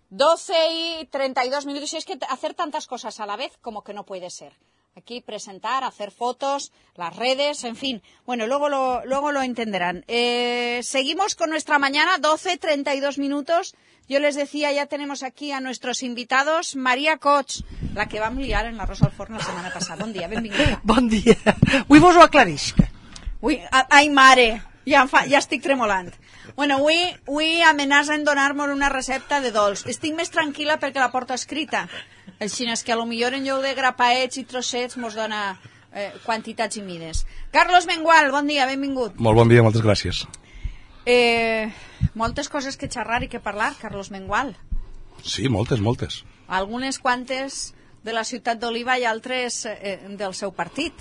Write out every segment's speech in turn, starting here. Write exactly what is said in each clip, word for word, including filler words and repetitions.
doce y treinta y dos minutos. Y es que hacer tantas cosas a la vez como que no puede ser. Aquí presentar, hacer fotos, las redes, en fin. Bueno, luego lo, luego lo entenderán. Eh, seguimos con nuestra mañana, doce, treinta y dos minutos. Yo les decía, ya tenemos aquí a nuestros invitados. Maria Cots, la que vam liar en la Rosa al Forn la setmana passada. Bon dia, benvinguda. Bon dia. Avui vos ho aclarisc. Ui, ai, mare, ja, fa, ja estic tremolant. Bueno, avui, avui amenacen donar-me una recepta de dolç. Estic més tranquil·la perquè la porto escrita. Així és que a lo millor en lloc de grapaets i trossets mos dona eh, quantitats i mides. Carlos Mengual, bon dia, benvingut. Molt bon dia, moltes gràcies. Eh, moltes coses que xerrar i que parlar, Carlos Mengual. Sí, moltes, moltes. Algunes quantes de la ciutat d'Oliva i altres eh, del seu partit,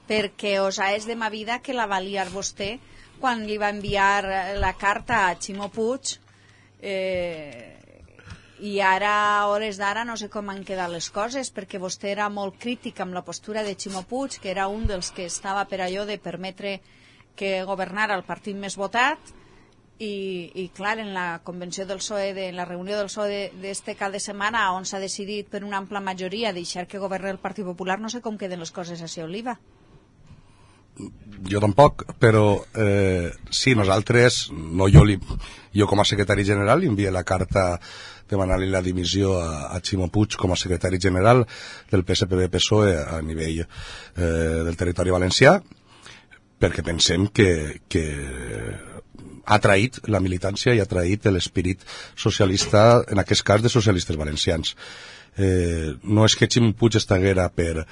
perquè us és de ma vida que la va liar vostè quan li va enviar la carta a Ximo Puig, eh, i ara, a hores d'ara, no sé com han quedat les coses, perquè vostè era molt crític amb la postura de Ximo Puig, que era un dels que estava per allò de permetre que governara el partit més votat, i, i clar, en la convenció del P S O E, de, en la reunió del P S O E d'este cap de setmana, on s'ha decidit per una ampla majoria deixar que governi el Partit Popular, no sé com queden les coses a Oliva. Jo tampoc, però eh, sí, nosaltres, no jo, li, jo com a secretari general, li envié la carta demanant-li la dimissió a, a Ximo Puig com a secretari general del P S P B P S O E a nivell eh, del territori valencià, perquè pensem que, que ha traït la militància i ha traït l'esperit socialista, en aquest cas de socialistes valencians. Eh, no és que Ximo Puig estaguera per,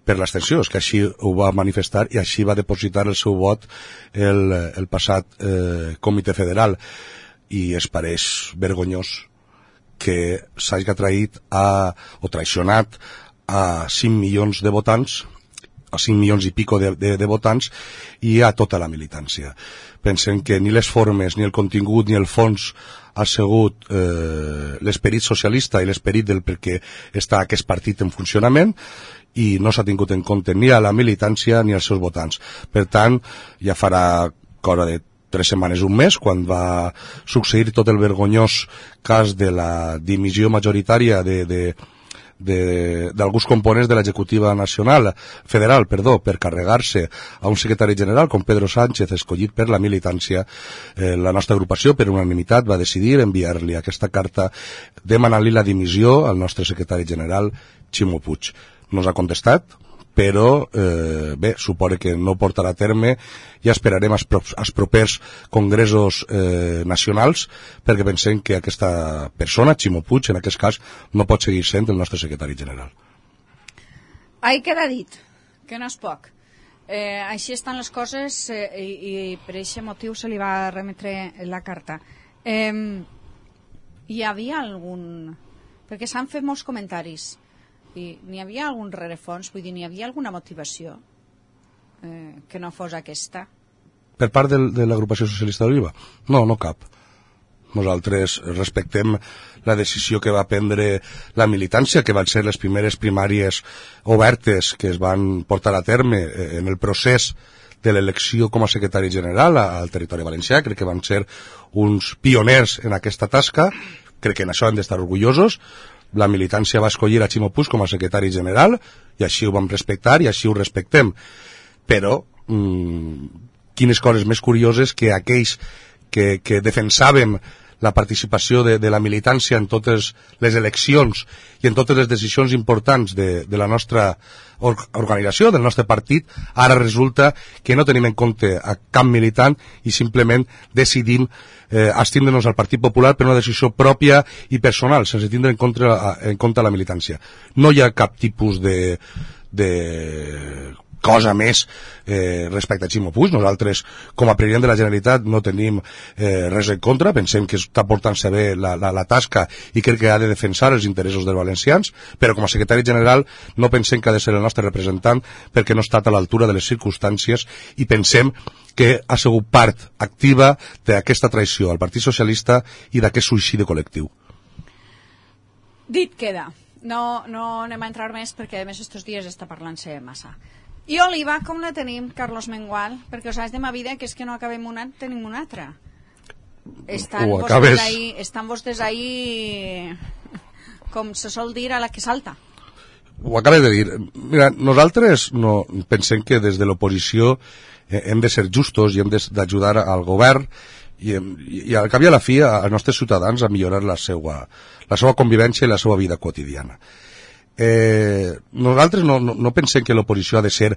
per l'abstenció, és que així ho va manifestar i així va depositar el seu vot el, el passat eh, comitè federal, i es pareix vergonyós que s'hagi traït a, o traicionat a cinc milions de votants, a cinc milions i pico de, de, de votants, i a tota la militància. Pensem que ni les formes, ni el contingut, ni el fons ha sigut eh, l'esperit socialista i l'esperit del perquè està aquest partit en funcionament, i no s'ha tingut en compte ni a la militància ni als seus votants. Per tant, ja farà cosa de tres setmanes, un mes, quan va succeir tot el vergonyós cas de la dimissió majoritària de, de d'alguns components de l'executiva nacional, federal, perdó, per carregar-se a un secretari general com Pedro Sánchez, escollit per la militància. Eh, la nostra agrupació, per unanimitat, va decidir enviar-li aquesta carta demanant-li la dimissió al nostre secretari general, Ximo Puig. No ens ha contestat, però eh, bé, suposa que no portarà a terme. Ja esperarem als, pro als propers congressos eh, nacionals, perquè pensem que aquesta persona, Ximo Puig, en aquest cas, no pot seguir sent el nostre secretari general. Ahí queda dit, que no és poc. Eh, així estan les coses, eh, i, i per aquest motiu se li va remetre la carta. Eh, hi havia algun... perquè s'han fet molts comentaris, i n'hi havia algun rerefons, vull dir, n'hi havia alguna motivació eh, que no fos aquesta? Per part de, de l'agrupació socialista d'Oliva? No, no cap. Nosaltres respectem la decisió que va prendre la militància, que van ser les primeres primàries obertes que es van portar a terme en el procés de l'elecció com a secretari general al territori valencià. Crec que van ser uns pioners en aquesta tasca, crec que en això hem d'estar orgullosos. La militància va escollir a Ximo Puig com a secretari general, i així ho vam respectar i així ho respectem. Però mmm, quines coses més curioses que aquells que, que defensàvem la participació de, de la militància en totes les eleccions i en totes les decisions importants de, de la nostra or organització, del nostre partit, ara resulta que no tenim en compte a cap militant i simplement decidim eh, abstindre-nos al Partit Popular per una decisió pròpia i personal, sense tindre en compte, en compte la militància. No hi ha cap tipus de, de cosa més eh, respecte a Ximo Puig. Nosaltres, com a president de la Generalitat, no tenim eh, res en contra, pensem que està portant-se bé la, la, la tasca i crec que ha de defensar els interessos dels valencians, però com a secretari general no pensem que ha de ser el nostre representant perquè no ha estat a l'altura de les circumstàncies, i pensem que ha sigut part activa d'aquesta traïció al Partit Socialista i d'aquest suïcidi col·lectiu. Dit queda. No, no anem a entrar més perquè a més estos dies està parlant-se massa. I Oliva, com la tenim, Carlos Mengual? Perquè us has de ma vida que és que no acabem una, tenim una altra. estan ho vostès acabes... ahí, estan vostès ahí, com se sol dir, a la que salta. Ho acabes de dir. Mira, nosaltres no pensem que des de l'oposició hem de ser justos i hem d'ajudar al govern i, i al cap i a la fi als nostres ciutadans a millorar la seva, la seva convivència i la seva vida quotidiana. Eh, nosaltres no, no, no pensem que l'oposició ha de ser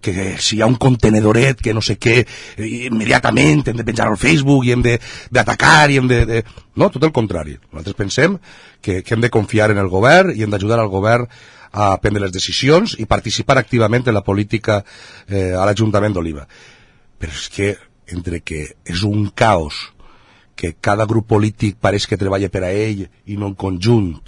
que si hi ha un contenedoret que no sé què, immediatament hem de penjar al Facebook i hem d'atacar i hem de, de... No, tot el contrari. Nosaltres pensem que, que hem de confiar en el govern i hem d'ajudar al govern a prendre les decisions i participar activament en la política eh, a l'Ajuntament d'Oliva. Però és que entre que és un caos, que cada grup polític pareix que treballa per a ell i no en conjunt,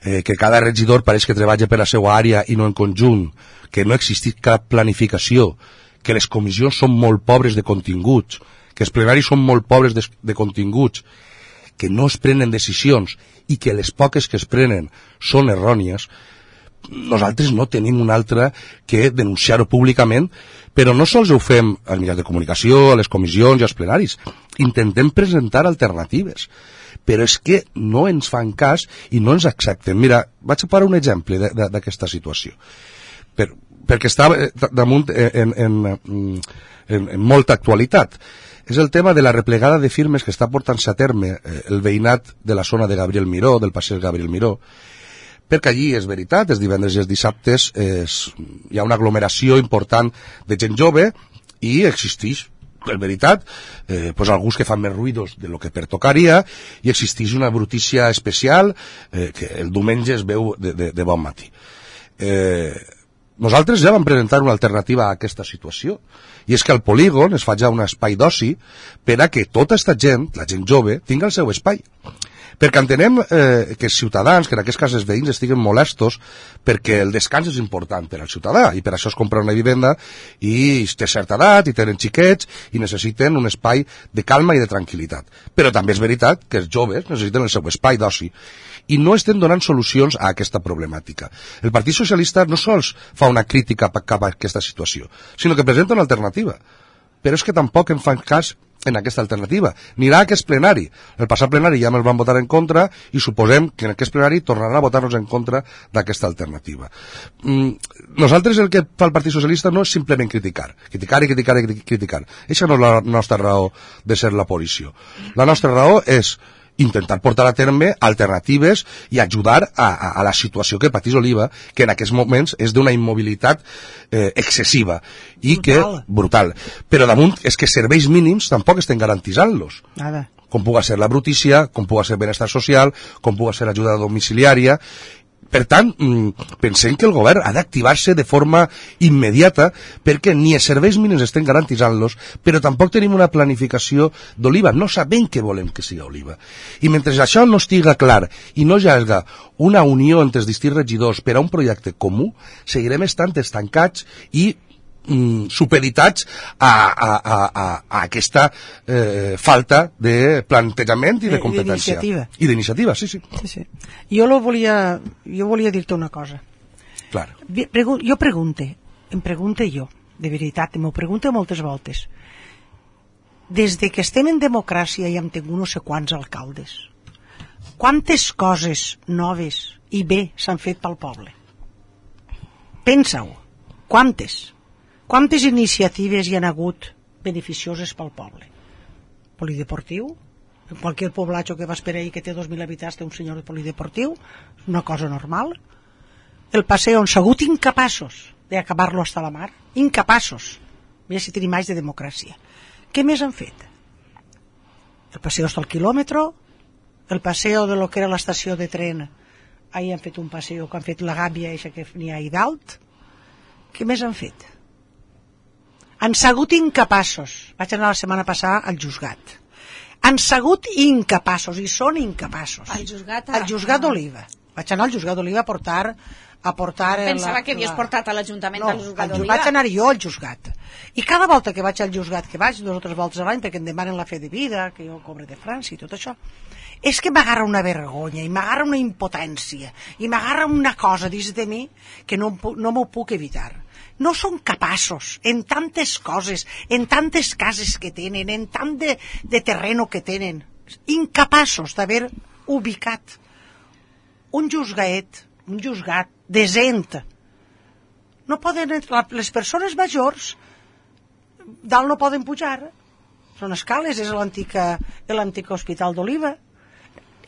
eh, que cada regidor pareix que treballa per a la seva àrea i no en conjunt, que no existeix cap planificació, que les comissions són molt pobres de continguts, que els plenaris són molt pobres de, de continguts, que no es prenen decisions i que les poques que es prenen són errònies, nosaltres no tenim un altre que denunciar-ho públicament, però no sols ho fem als mitjans de comunicació, a les comissions i als plenaris. Intentem presentar alternatives, però és que no ens fan cas i no ens accepten. Mira, vaig a posar un exemple d'aquesta situació, per, perquè està damunt en, en, en, en molta actualitat. És el tema de la replegada de firmes que està portant-se a terme el veïnat de la zona de Gabriel Miró, del passeig Gabriel Miró, perquè allí, és veritat, els divendres i els dissabtes és, hi ha una aglomeració important de gent jove i existeix, és veritat, eh, pues alguns que fan més ruïdos de lo que pertocaria i existeix una brutícia especial eh, que el diumenge es veu de, de, de bon matí. Eh, nosaltres ja vam presentar una alternativa a aquesta situació i és que al polígon es fa ja un espai d'oci per a que tota aquesta gent, la gent jove, tingui el seu espai. Perquè entenem eh, que els ciutadans, que en aquest cas els veïns, estiguen molestos perquè el descans és important per al ciutadà i per això es compra una vivenda i té certa edat i tenen xiquets i necessiten un espai de calma i de tranquil·litat. Però també és veritat que els joves necessiten el seu espai d'oci i no estem donant solucions a aquesta problemàtica. El Partit Socialista no sols fa una crítica cap a aquesta situació, sinó que presenta una alternativa. Però és que tampoc en fan cas en aquesta alternativa. Anirà a aquest plenari. El passat plenari ja me'ls van votar en contra i suposem que en aquest plenari tornaran a votar-nos en contra d'aquesta alternativa. Mm, nosaltres el que fa el Partit Socialista no és simplement criticar. Criticar i criticar i criticar. Eixa no és la nostra raó de ser l'oposició. La nostra raó és intentar portar a terme alternatives i ajudar a, a, a la situació que patís Oliva, que en aquests moments és d'una immobilitat eh, excessiva i brutal. que brutal. Però damunt és que serveis mínims tampoc estem garantitzant-los. Nada. Com puga ser la brutícia, com puga ser benestar social, com puga ser ajuda domiciliària. Per tant, pensem que el govern ha d'activar-se de forma immediata perquè ni els serveis mínims estem garantitzant-los, però tampoc tenim una planificació d'Oliva. No sabem què volem que sigui Oliva. I mentre això no estiga clar i no hi hagi una unió entre els distints regidors per a un projecte comú, seguirem estant estancats i mm, supeditats a, a, a, a, a aquesta eh, falta de plantejament i de competència. I d'iniciativa, sí, sí. sí, sí. Jo, lo volia, jo volia dir-te una cosa. Clar. Jo pregunte, em pregunte jo, de veritat, m'ho pregunto moltes voltes. Des de que estem en democràcia i hem tingut no sé quants alcaldes, quantes coses noves i bé s'han fet pel poble? Pensa-ho. Quantes? Quantes iniciatives hi han hagut beneficioses pel poble? Polideportiu? En qualsevol poblatge que vas per ahí que té dos mil habitants té un senyor de polideportiu? Una cosa normal. El passeig on s'ha hagut incapaços d'acabar-lo hasta la mar. Incapaços. Mira si tenim anys de democràcia. Què més han fet? El passeig hasta el quilòmetre, el passeig de lo que era l'estació de tren. Ahir han fet un passeig que han fet la gàbia eixa que n'hi ha ahí dalt. Què més han fet? Han sigut incapaços. Vaig anar la setmana passada al Juzgat. Han sigut incapaços, i són incapaços. Al Juzgat? Al Juzgat d'Oliva. Vaig anar al Juzgat d'Oliva a portar... A portar Pensava la, que havies la... portat a l'Ajuntament no, del Juzgat d'Oliva. Vaig anar jo al Juzgat. I cada volta que vaig al Juzgat, que vaig dues o tres voltes a l'any, perquè em demanen la fe de vida, que jo cobre de França i tot això, és que m'agarra una vergonya, i m'agarra una impotència, i m'agarra una cosa dins de mi que no, no m'ho puc evitar. no són capaços, en tantes coses, en tantes cases que tenen, en tant de, de terreno que tenen, incapaços d'haver ubicat un juzgaet, un juzgat decent. No poden, les persones majors dalt no poden pujar, són escales, és l'antic hospital d'Oliva.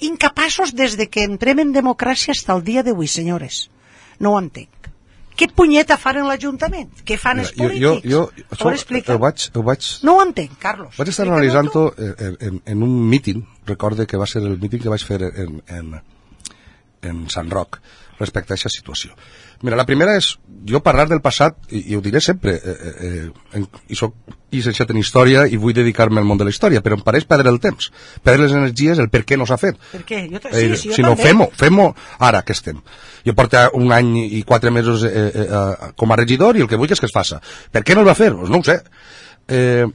Incapaços des de que entrem en democràcia fins al dia d'avui, senyores. No ho entenc. Què punyeta fan en l'Ajuntament? Què fan els polítics? Jo, jo, això, ho vaig, ho vaig... No ho entenc, Carlos. Vaig estar analitzant-ho en, en, en un míting, recorde que va ser el míting que vaig fer en, en, en Sant Roc, respecte a aquesta situació. Mira, la primera és, jo parlar del passat, i, i ho diré sempre, eh, eh, en, i soc llicenciat en història i vull dedicar-me al món de la història, però em pareix perdre el temps, perdre les energies, el per què no s'ha fet. Per què? Jo sí, sí, jo si no, fem-ho, fem-ho ara que estem. Jo porto un any i quatre mesos eh, eh, eh, com a regidor i el que vull és que es faça. Per què no el va fer? Pues no ho sé. Eh,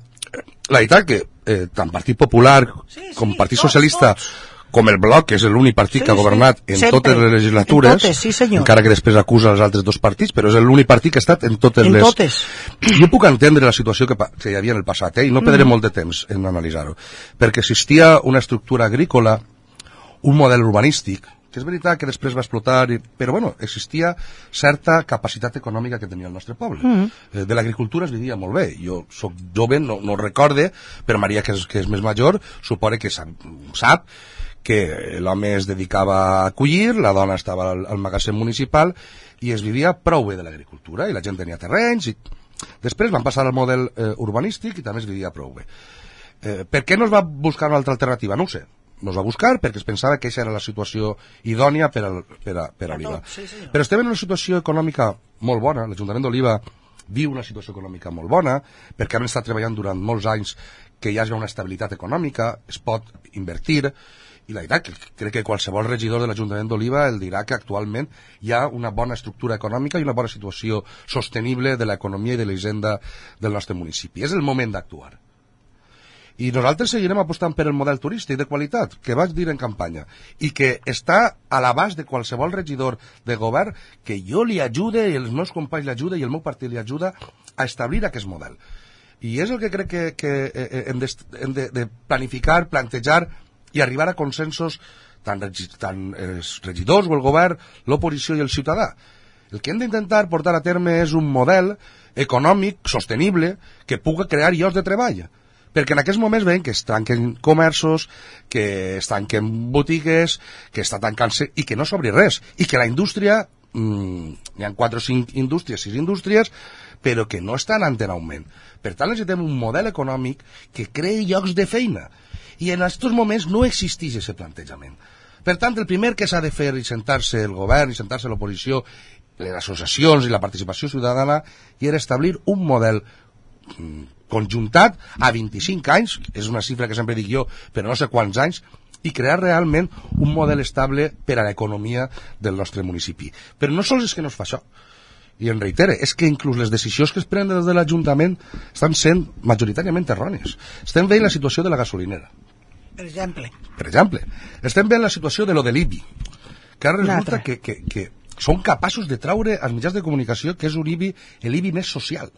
la veritat que eh, tant Partit Popular sí, sí, com Partit tots, Socialista tots. Com el Bloc, que és l'únic partit sí, que ha governat sí, en sempre. Totes les legislatures, en totes, sí, encara que després acusa els altres dos partits, però és l'únic partit que ha estat en totes en les... Totes. Jo puc entendre la situació que, que hi havia en el passat, eh? I no perdré mm. molt de temps en analitzar-ho, perquè existia una estructura agrícola, un model urbanístic, que és veritat que després va explotar, i, però bueno, existia certa capacitat econòmica que tenia el nostre poble. Mm. Eh, de l'agricultura es vivia molt bé. Jo soc jove, no, no recorde, però Maria, que és, que és més major, supone que sap, sap que l'home es dedicava a collir, la dona estava al, al magatzem municipal i es vivia prou bé de l'agricultura i la gent tenia terrenys i després van passar al model eh, urbanístic i també es vivia prou bé. Eh, per què no es va buscar una altra alternativa? No ho sé. No es va buscar perquè es pensava que aquesta era la situació idònia per, al, per, a, per a Oliva. Sí, però estem en una situació econòmica molt bona. L'Ajuntament d'Oliva viu una situació econòmica molt bona perquè hem estat treballant durant molts anys que hi hagi una estabilitat econòmica, es pot invertir. I la veritat, que crec que qualsevol regidor de l'Ajuntament d'Oliva el dirà que actualment hi ha una bona estructura econòmica i una bona situació sostenible de l'economia i de la hisenda del nostre municipi. És el moment d'actuar. I nosaltres seguirem apostant per el model turístic de qualitat, que vaig dir en campanya, i que està a l'abast de qualsevol regidor de govern que jo li ajude, i els meus companys l'ajuda, i el meu partit li ajuda a establir aquest model. I és el que crec que, que hem, de, hem de, de planificar, plantejar i arribar a consensos tant, tant els regidors o el govern, l'oposició i el ciutadà. El que hem d'intentar portar a terme és un model econòmic sostenible que pugui crear llocs de treball. Perquè en aquests moments veiem que es tanquen comerços, que es tanquen botigues, que està tancant-se i que no s'obri res. I que la indústria, mmm, hi ha quatre o cinc indústries, sis indústries, però que no estan en augment. Per tant, necessitem un model econòmic que creï llocs de feina. I en aquests moments no existeix aquest plantejament. Per tant, el primer que s'ha de fer i sentar-se el govern, i sentar-se l'oposició, les associacions i la participació ciutadana, i era establir un model conjuntat a vint-i-cinc anys, és una xifra que sempre dic jo, però no sé quants anys, i crear realment un model estable per a l'economia del nostre municipi. Però no sols és que no es fa això, i en reitere, és que inclús les decisions que es prenen des de l'Ajuntament estan sent majoritàriament errònies. Estem veient la situació de la gasolinera. Per exemple. Per exemple. Estem veient la situació de lo de l'I B I, que ara resulta que, que, que són capaços de traure als mitjans de comunicació que és un I B I, l'I B I més social.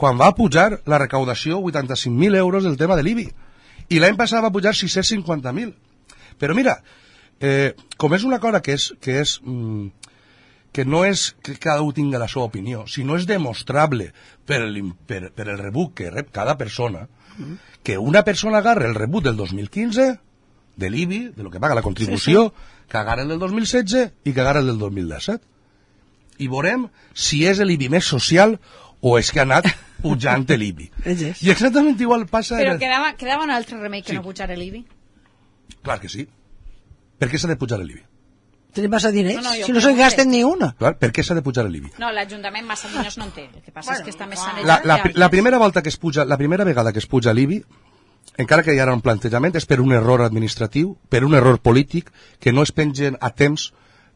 Quan va pujar la recaudació vuitanta-cinc mil euros del tema de l'I B I, i l'any passat va pujar sis-cents cinquanta mil. Però mira, eh, com és una cosa que és... Que és mm, que no és que cada un tingui la seva opinió, sinó és demostrable per el, per, per el rebut que rep cada persona, que una persona agarra el rebut del dos mil quinze, de l'I B I, de lo que paga la contribució, sí, sí. que agarra el del dos mil setze i que agarra el del dos mil disset. I veurem si és l'I B I més social o és que ha anat pujant l'I B I. I exactament igual passa... Però el... quedava, quedava un altre remei que sí. no pujar l'I B I? Clar que sí. Per què s'ha de pujar l'I B I? Tenim massa diners, no, no, si no se'n gasten ni una. Clar, per què s'ha de pujar l'I B I? No, l'Ajuntament massa diners no en té. El que passa bueno, és que està més sanejat. La, la, la, primera volta que es puja, la primera vegada que es puja l'I B I, encara que hi ha un plantejament, és per un error administratiu, per un error polític, que no es pengen a temps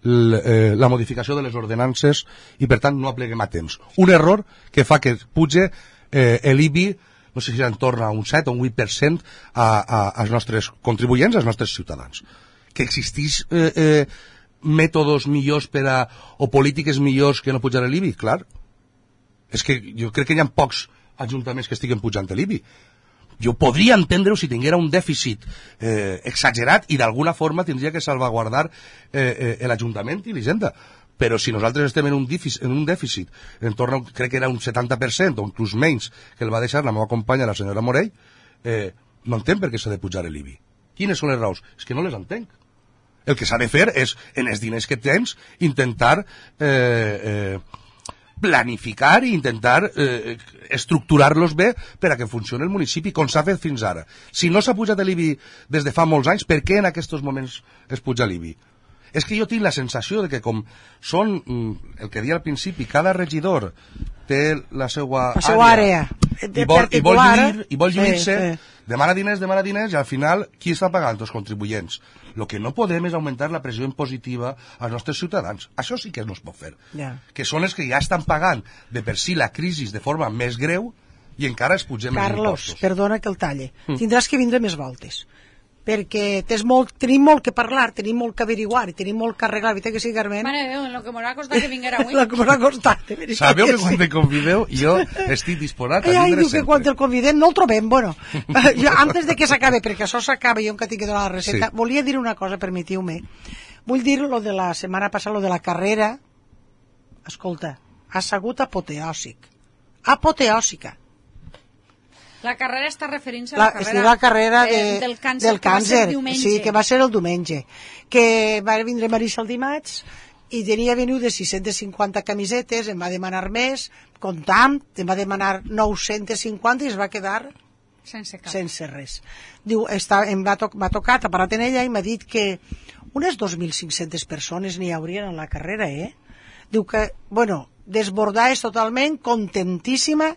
l, eh, la modificació de les ordenances i, per tant, no apleguem a temps. Un error que fa que puge eh, l'I B I, no sé si en torna a un set o un vuit per cent a, a, als nostres contribuents, als nostres ciutadans. Que existeix... Eh, eh, mètodes millors per a, o polítiques millors que no pujar l'I B I? Clar, És que jo crec que hi ha pocs ajuntaments que estiguen pujant l'I B I. Jo podria entendre-ho si tinguera un dèficit eh, exagerat i d'alguna forma tindria que salvaguardar eh, eh, l'Ajuntament i l'Hisenda. Però si nosaltres estem en un dèficit, en un dèficit en torno, crec que era un setanta per cent o inclús menys que el va deixar la meva companya, la senyora Morell, eh, no entenc per què s'ha de pujar l'I B I. Quines són les raons? És que no les entenc. El que s'ha de fer és, en els diners que tens, intentar eh, eh, planificar i intentar eh, estructurar-los bé per a que funcioni el municipi, com s'ha fet fins ara. Si no s'ha pujat l'I B I des de fa molts anys, per què en aquests moments es puja l'I B I? És que jo tinc la sensació de que com són, el que deia al principi, cada regidor té la seva la seva àrea, àrea i vol, i vol lluir, i vol lluir-se, sí, sí. demana diners, demana diners, i al final qui està pagant? Els contribuents. El que no podem és augmentar la pressió impositiva als nostres ciutadans. Això sí que no es pot fer. Yeah. Que són els que ja estan pagant de per si la crisi de forma més greu i encara es pugem els impostos. Carlos, perdona que el talle. Mm. Tindràs que vindre més voltes. Perquè tens molt, tenim molt que parlar, tenim molt que averiguar i tenim molt que arreglar, veritat que sí, Carmen? Mare de Déu, en lo que m'ho ha costat que vinguera avui. En lo que m'ho ha costat, de veritat. Sabeu que, que quan sí. te convideu jo estic disposat a Ai, vindre diu sempre. que quan el convidem no el trobem, bueno. Jo, antes de que s'acabe, perquè això s'acaba i jo encara tinc que donar la recepta, sí. Volia dir una cosa, permetiu-me. Vull dir lo de la setmana passada, lo de la carrera. Escolta, ha sigut apoteòsic. Apoteòsica. La carrera està referint-se a la, la carrera, la carrera de, eh, del càncer, del càncer que va ser sí, que va ser el diumenge, que va vindre Marisa el dimarts i tenia venudes sis-centes cinquanta camisetes, em va demanar més, comptant, em va demanar nou-centes cinquanta i es va quedar sense cap. Sense res. Diu, està, em va, to m'ha tocat, ha parat en ella i m'ha dit que unes dos mil cinc-centes persones n'hi haurien en la carrera, eh? Diu que, bueno, desbordada és totalment, contentíssima,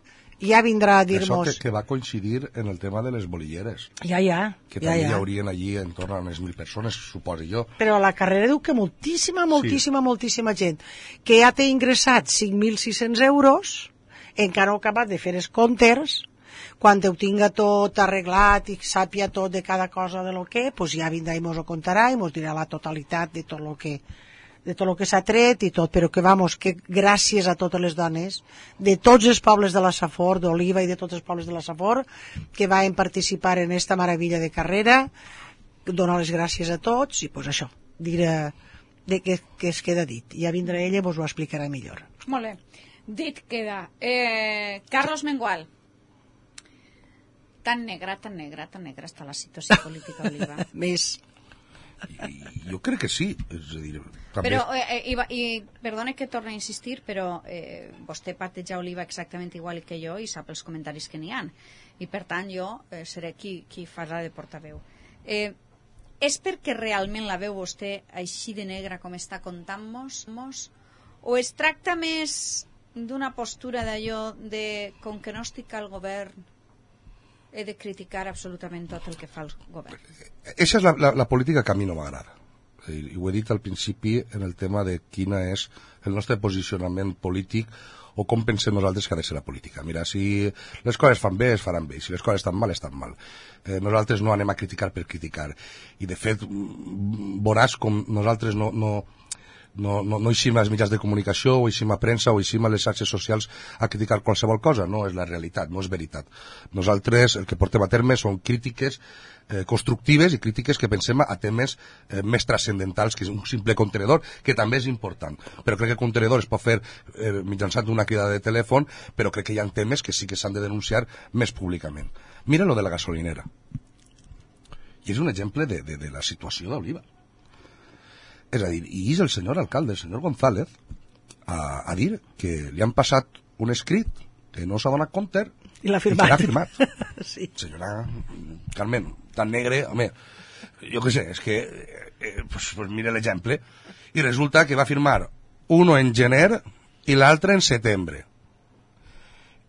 ja vindrà a dir-nos... Això que, que va coincidir en el tema de les bolilleres. Ja, ja. Que ja, també ja. hi haurien allí en torno a unes mil persones, suposo jo. Però a la carrera diu que moltíssima, moltíssima, sí. moltíssima gent que ja té ingressat cinc mil sis-cents euros, encara no ha acabat de fer els comptes, quan ho tinga tot arreglat i sàpia tot de cada cosa de lo que, pues ja vindrà i mos ho contarà i mos dirà la totalitat de tot lo que... de tot el que s'ha tret i tot, però que, vamos, que gràcies a totes les dones, de tots els pobles de la Safor, d'Oliva i de tots els pobles de la Safor, que van participar en esta meravella de carrera, donar les gràcies a tots, i pues això, dir de que, que es queda dit. Ja vindrà ella i vos ho explicarà millor. Molt bé, dit queda. Eh, Carlos Mengual. Tan negra, tan negra, tan negra està la situació política, Oliva. Més... I, jo crec que sí, és a dir, també... Però, eh, i, i perdone que torni a insistir, però eh, vostè parteja Oliva exactament igual que jo i sap els comentaris que n'hi ha. I per tant jo eh, seré qui, qui farà de portaveu. Eh, és perquè realment la veu vostè així de negra com està contant-nos? O es tracta més d'una postura d'allò de com que no estic al govern he de criticar absolutament tot el que fa el govern? Eixa és la, la, la política que a mi no m'agrada. I ho he dit al principi en el tema de quina és el nostre posicionament polític o com pensem nosaltres que ha de ser la política. Mira, si les coses fan bé, es faran bé. Si les coses estan mal, estan mal. Eh, nosaltres no anem a criticar per criticar. I, de fet, veuràs com nosaltres no... no No, no, no eixim als mitjans de comunicació o eixim a premsa o eixim a les xarxes socials a criticar qualsevol cosa, no és la realitat, no és veritat. Nosaltres el que portem a terme són crítiques eh, constructives i crítiques que pensem a temes eh, més transcendentals que un simple contenedor, que també és important, però crec que el contenedor es pot fer eh, mitjançant una crida de telèfon, però crec que hi ha temes que sí que s'han de denunciar més públicament. Mira lo de la gasolinera, i és un exemple de, de, de la situació d'Oliva. És a dir, i és el senyor alcalde, el senyor González, a, a dir que li han passat un escrit que no s'ha donat compte i l'ha firmat. I que l'ha firmat. Sí. Senyora Carmen, tan negre, home, jo què sé, és que, eh, pues, pues mira l'exemple, i resulta que va firmar uno en gener i l'altre en setembre.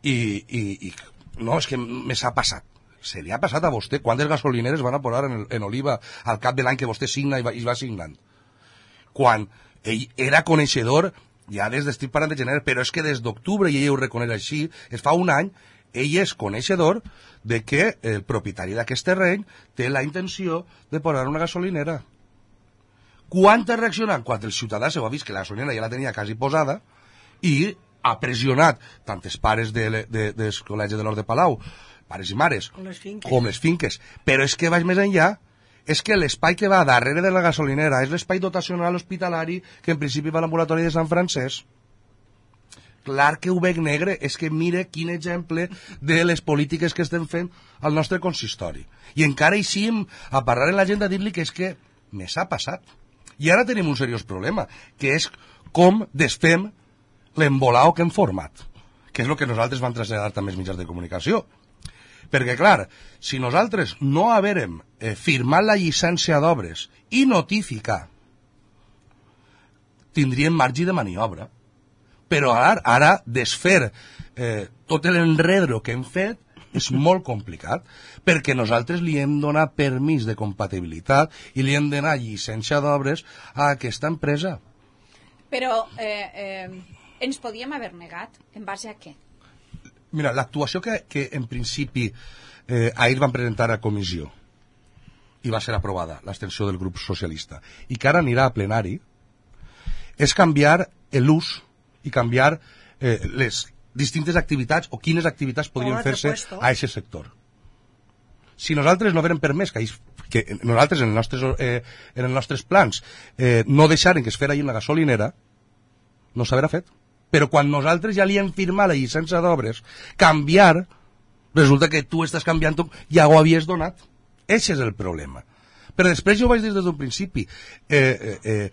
I, i, i no, és que me s'ha passat. Se li ha passat a vostè quantes gasolineres van a posar en, el, en Oliva al cap de l'any que vostè signa i va, i va signant? Quan ell era coneixedor ja des d'estic parlant de gener, però és que des d'octubre, i ell ho reconeix així, es fa un any, ell és coneixedor de que el propietari d'aquest terreny té la intenció de posar una gasolinera. Quan t'ha reaccionat? Quan el ciutadà s'ho ha vist que la gasolinera ja la tenia quasi posada i ha pressionat tant els pares de, de, del Col·legi de l'Hort de Palau, pares i mares, Com les finques. com les finques, però és que vaig més enllà, és que l'espai que va darrere de la gasolinera és l'espai dotacional hospitalari que en principi va a l'ambulatori de Sant Francesc. Clar que ho veig negre, és que mire quin exemple de les polítiques que estem fent al nostre consistori. I encara eixim a parlar en la gent a dir-li que és que me s'ha passat. I ara tenim un seriós problema, que és com desfem l'embolao que hem format, que és el que nosaltres vam traslladar també als mitjans de comunicació. Perquè, clar, si nosaltres no haverem eh, firmat la llicència d'obres i notificar, tindríem marge de maniobra. Però ara, ara desfer eh, tot l'enredro que hem fet és molt complicat, perquè nosaltres li hem donat permís de compatibilitat i li hem donat llicència d'obres a aquesta empresa. Però eh, eh, ens podíem haver negat, en base a què? Mira, l'actuació que, que en principi eh, ahir van presentar a comissió i va ser aprovada, l'extensió del grup socialista, i que ara anirà a plenari, és canviar l'ús i canviar eh, les distintes activitats o quines activitats podrien fer-se a aquest sector. Si nosaltres no haguem permès que, que nosaltres en els nostres, eh, en els nostres plans eh, no deixaren que es fera ahir en la gasolinera, no s'haurà fet. Però quan nosaltres ja li hem firmat la llicència d'obres, canviar, resulta que tu estàs canviant, ja ho havies donat. Ese és el problema. Però després jo ho vaig dir des d'un principi. Eh, eh, eh,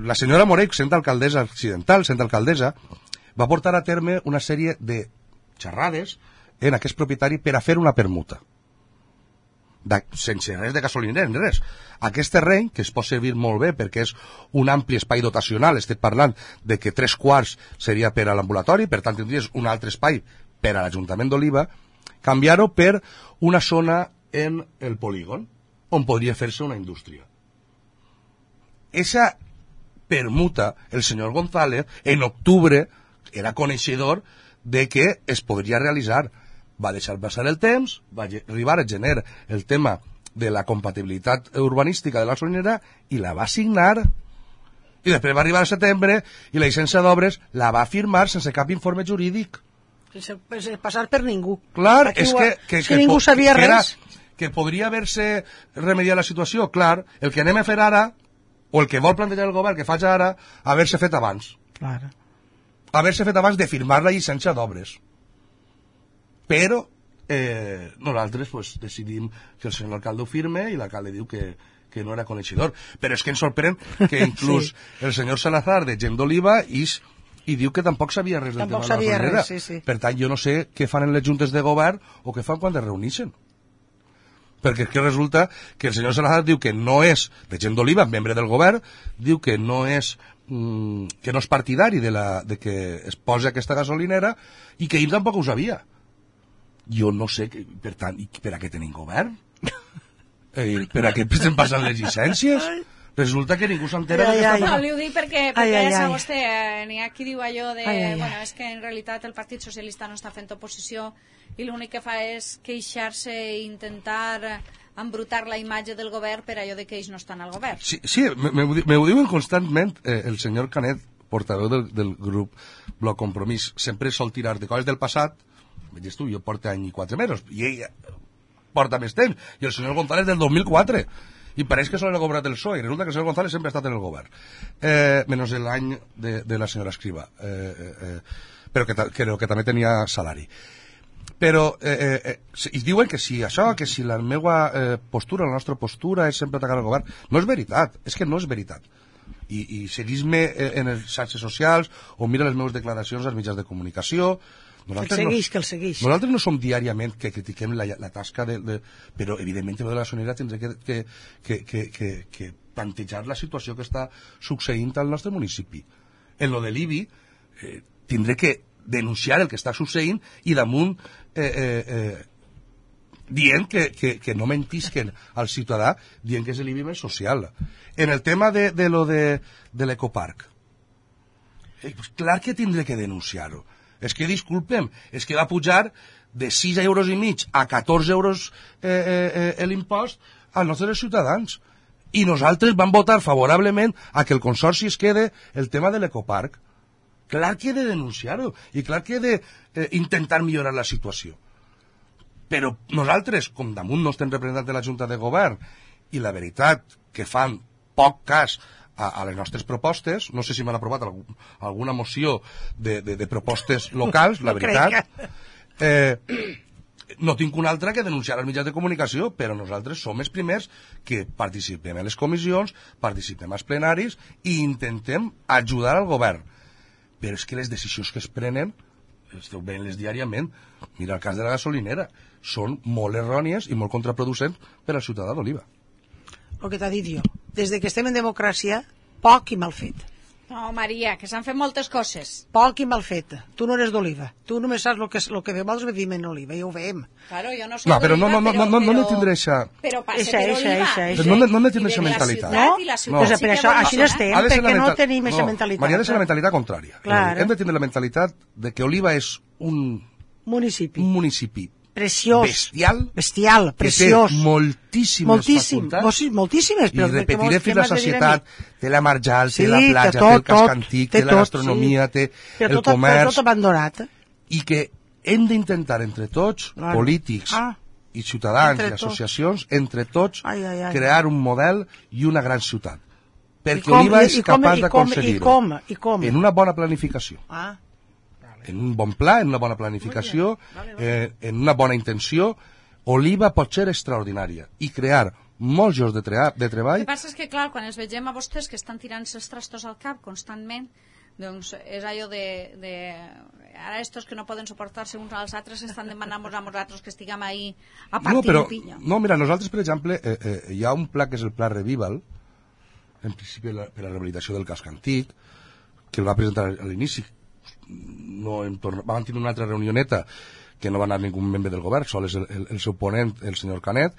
la senyora Morell, sent alcaldessa accidental, sent alcaldessa, va portar a terme una sèrie de xerrades en aquest propietari per a fer una permuta. De, sense res de gasolinera, ni res. Aquest terreny, que es pot servir molt bé perquè és un ampli espai dotacional, estic parlant de que tres quarts seria per a l'ambulatori, per tant tindries un altre espai per a l'Ajuntament d'Oliva, canviar-ho per una zona en el polígon, on podria fer-se una indústria. Esa permuta, el senyor González, en octubre, era coneixedor de que es podria realitzar. Va deixar passar el temps, va arribar a gener el tema de la compatibilitat urbanística de la gasolinera i la va signar. I després va arribar a setembre i la llicència d'obres la va firmar sense cap informe jurídic. Sense passar per ningú. Clar, és que, que, si que, ningú sabia que, era, res. que podria haver-se remediat la situació. Clar, el que anem a fer ara, o el que vol plantejar el govern que faci ara, haver-se fet abans. Clar. Haver-se fet abans de firmar la llicència d'obres. Però eh, nosaltres pues, decidim que el senyor alcalde ho firme i l'alcalde diu que, que no era coneixedor. Però és que ens sorprèn que inclús sí. el senyor Salazar de Gent d'Oliva is, i diu que tampoc sabia res del tampoc tema de la gasolinera. Sí, sí. Per tant, jo no sé què fan en les juntes de govern o què fan quan es reuneixen. Perquè és que resulta que el senyor Salazar diu que no és de Gent d'Oliva, membre del govern, diu que no és mm, que no és partidari de, la, de que es posi aquesta gasolinera i que ell tampoc ho sabia. Jo no sé, que, per tant, per a què tenim govern? Eh, per a què estem passant les llicències? Resulta que ningú s'entera ai, de ai, No, li ho dic perquè, perquè ai, ai, ja sap ai. vostè, eh, n'hi ha qui diu allò de, Ai, ai, ai. bueno, és que en realitat el Partit Socialista no està fent oposició i l'únic que fa és queixar-se i intentar embrutar la imatge del govern per allò de que ells no estan al govern. Sí, sí me, me, me ho diuen constantment eh, el senyor Canet, portaveu del, del grup Bloc Compromís, sempre sol tirar de coses del passat. Veies tu, jo porto any i quatre mesos, i ell porta més temps, i el senyor González del dos mil quatre, i pareix que sol era governat del P S O E, i resulta que el senyor González sempre ha estat en el govern, eh, menys l'any de, de la senyora Escrivà, eh, eh, eh, però que, que, que també tenia salari. Però, eh, eh, i diuen que si això, que si la meva eh, postura, la nostra postura és sempre atacar el govern, no és veritat, és que no és veritat. I, i seguís-me en les xarxes socials o mira les meves declaracions als mitjans de comunicació. Nosaltres que el segueix, no, que el segueix. Nosaltres no som diàriament que critiquem la, la tasca de, de... Però, evidentment, de la sonera tindré que, que, que, que, que, que plantejar la situació que està succeint al nostre municipi. En lo de l'I B I, eh, tindré que denunciar el que està succeint i damunt eh, eh, eh, dient que, que, que no mentisquen al ciutadà dient que és l'I B I més social. En el tema de, de lo de, de l'ecoparc, eh, pues clar que tindré que denunciar-ho. És que, disculpem, és que va pujar de sis euros i mig a catorze euros eh, eh, eh, l'impost als nostres ciutadans. I nosaltres vam votar favorablement a que el Consorci es quede el tema de l'ecoparc. Clar que he de denunciar-ho i clar que he d'intentar eh, millorar la situació. Però nosaltres, com damunt no estem representant de la Junta de Govern i la veritat que fan poc cas a, a les nostres propostes, no sé si m'han aprovat algun, alguna moció de, de, de propostes locals, la veritat, eh, no tinc una altra que denunciar als mitjans de comunicació, però nosaltres som els primers que participem en les comissions, participem als plenaris i intentem ajudar al govern. Però és que les decisions que es prenen, esteu veient-les diàriament, mira el cas de la gasolinera, són molt errònies i molt contraproducents per al ciutadà d'Oliva. El que t'ha dit jo, des que estem en democràcia, poc i mal fet. No, Maria, que s'han fet moltes coses. Poc i mal fet. Tu no eres d'Oliva. Tu només saps el que, lo que nosaltres vivim en Oliva, i ho veiem. Claro, jo no soy no, però d'Oliva, no, no, però... no, no, no ne tindré això. Però passe Eixa, per eixa, Oliva. eixa, i eixa. No, no, de- no ne i tindré de aquesta la mentalitat. ciutat, No? i la Pues ciutat sí per que això, vol així funcionar. n'estem, Ha de ser la perquè no mentalitat- tenim aquesta no, mentalitat. Maria, ha de ser la mentalitat contrària. Claro. Hem de tenir la mentalitat de que Oliva és un, Municipi. un municipi Preciós. bestial, Bestial, que preciós. té moltíssimes Moltíssim, facultats. moltíssimes, moltíssimes. I però repetiré què fins la m'has de dir a mi? societat, té la marjal, Sí, té la té platja, tot, té el casc tot, antic, té té la tot, gastronomia, sí. té Però el tot, però comerç, tot abandonat. i que hem d'intentar entre tots, Claro. polítics Ah. i ciutadans Entre i tots. associacions, entre tots, Ai, ai, ai. crear un model i una gran ciutat. Perquè com- Oliva i- és i com- capaç i com- d'aconseguir-ho. i com, i com? En una bona planificació. Ah, En un bon pla, en una bona planificació, eh, en una bona intenció, Oliva pot ser extraordinària i crear molts llocs de, tre de El treball. que passa és que, clar, quan els vegem a vostès que estan tirant-se els trastos al cap constantment, doncs és allò de... de... Ara estos que no poden suportar-se uns als altres estan demanant-nos a nosaltres que estiguem ahí a partir No, però, de pinya. no, mira, nosaltres, per exemple, eh, eh, hi ha un pla que és el Pla Revival, en principi la, per a la rehabilitació del casc antic, que el va presentar a l'inici. No hem tornat, vam tenir una altra reunioneta que no va anar ningú membre del govern, sol és el, el, el seu ponent, el senyor Canet,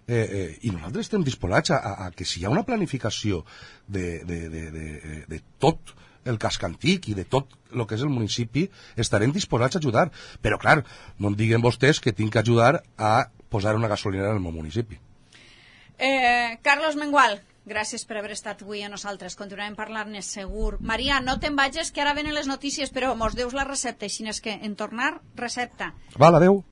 eh, eh, i nosaltres estem disposats a, a, a que si hi ha una planificació de, de, de, de, de tot el casc antic i de tot el que és el municipi, estarem disposats a ajudar. Però, clar, no em diguen vostès que tinc que ajudar a posar una gasolinera en el meu municipi. Eh, Carlos Mengual, gràcies per haver estat avui a nosaltres. Continuarem parlant-ne segur. Maria, no te'n vagis, que ara venen les notícies, però mos deus la recepta, així és que en tornar, recepta. Val, adeu.